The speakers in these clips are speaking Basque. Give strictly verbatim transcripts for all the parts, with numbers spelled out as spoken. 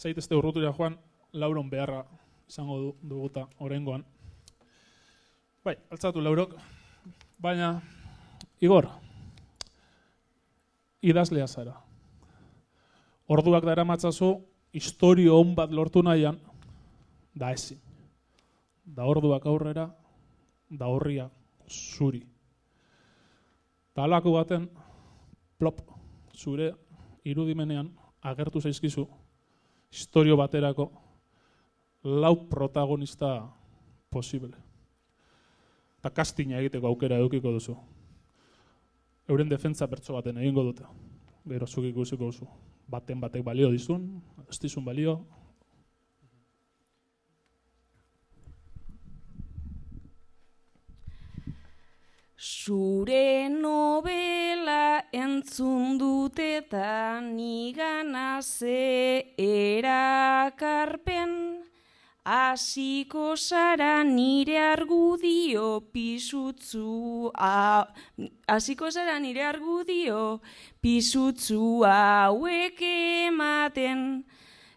zaitezte urrutura joan, lauron beharra izango du, duguta oraingoan. Bai, altzatu laurok, baina, Igor, idazlea zara. Orduak dara matzazu, historio hon bat lortu nahian, da ezin. Da orduak aurrera, da horria zuri. Da alako baten, plop, zure irudimenean agertu zaizkizu, historio baterako lau protagonista posible. Eta kastina egiteko aukera edukiko duzu. Euren defentza pertso baten egingo dute. Gero zuk ikusiko duzu. Baten batek balio dizun, ez dizun balio. Zure novela entzun dut eta nigana ze erakarpen, hasiko zara nire argudio pisutzu, hasiko zara nire argudio pisutzu hauek ematen,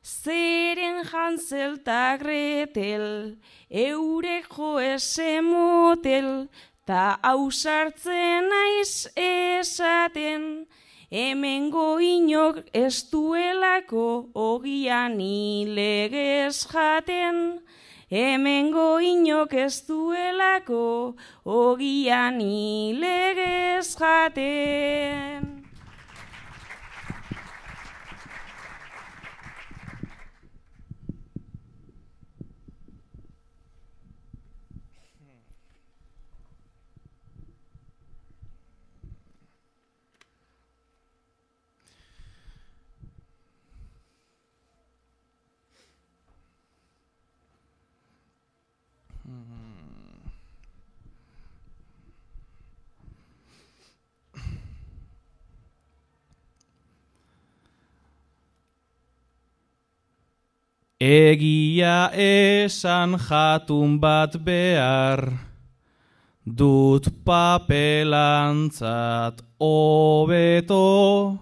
zeren Hansel eta Gretel, eurek jo ese motel, ta ausartzen naiz esaten, hemengo inok ez duelako ogian ilegez jaten. Hemengo inok ez duelako ogian ilegez jaten. Egia esan jatun bat behar, dut papelantzat hobeto,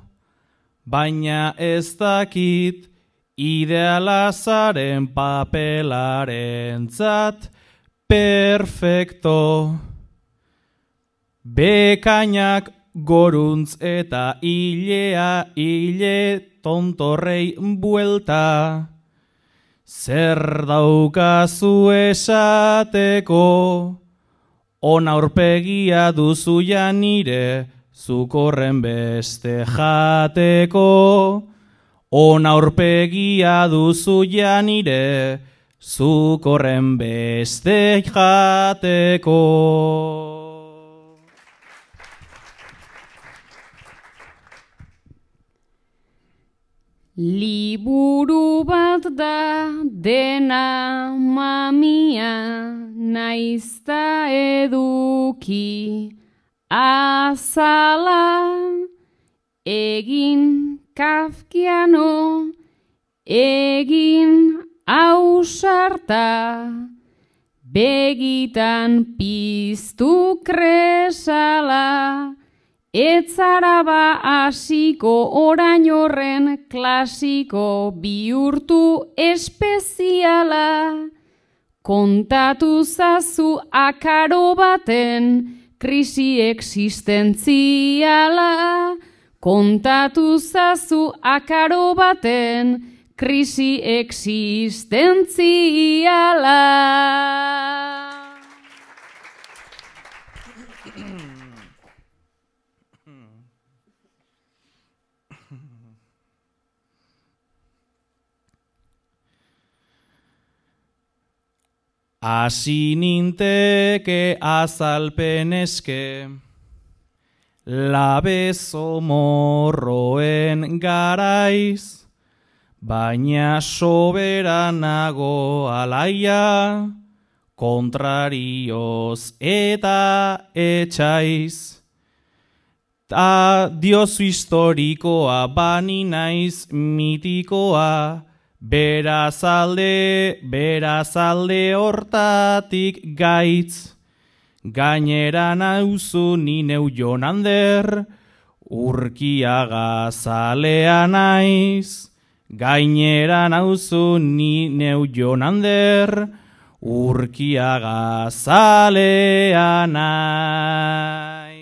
baina ez dakit idealazaren papelarentzat perfecto. Bekainak goruntz eta hilea hile tontorrei buelta. Zer daukazu esateko, on aurpegia duzu ja nire, zuk horren beste jateko. On aurpegia duzu ja nire, zuk horren beste jateko. Liburu bat da dena mamia, naizta eduki azala, egin kafkiano, egin ausarta, begitan piztu kresala. Etzara ba hasiko orain horren klasiko bihurtu espeziala. Kontatu zazu akaro baten krisi existentziala. Kontatu zazu akaro baten krisi existentziala. Hasi ninteke azalpen eske, labezo morroen garaiz, baina soberanago alaia, kontrarioz eta etxaiz. Ta diozu historikoa bani naiz mitikoa, berazalde, berazalde hortatik gaitz. Gainera nauzu ni neu Jonander, Urkiaga zalea naiz. gainera nauzu ni neu Jonander, Urkiaga zalea naiz.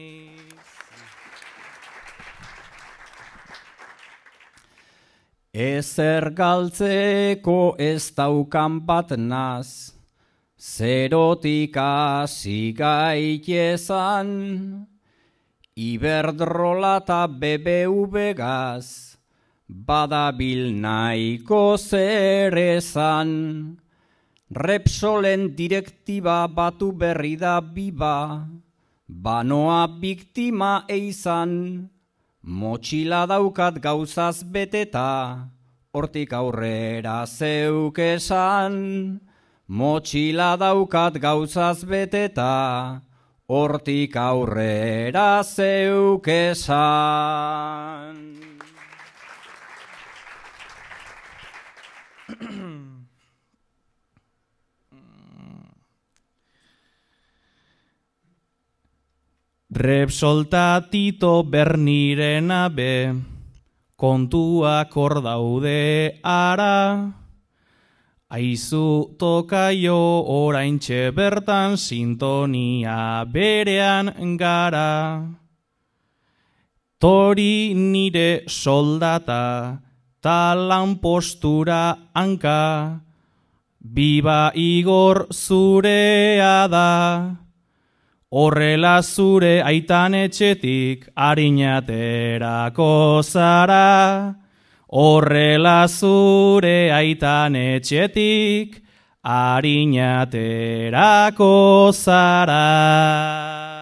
Ezer galtzeko ez daukan bat naz, zerotik hasi gaitezan, Iberdrola eta B B V gaz, badabil nahiko zer esan. Repsolen direktiba batu berri da biba, banoa biktima eizan, motxila daukat gauzaz beteta, hortik aurrera zeuk esan. Motxila daukat gauzaz beteta, hortik aurrera zeuk esan. Repsol ta Tito Bernirena be, kontuak hor daude ara, aizu tokaio oraintxe bertan sintonia berean gara. Tori nire soldata, ta lanpostura hanka, biba Igor zurea da. Horrela zure aitan etxetik harinaterako zara. Horrela zure aitan etxetik harinaterako zara.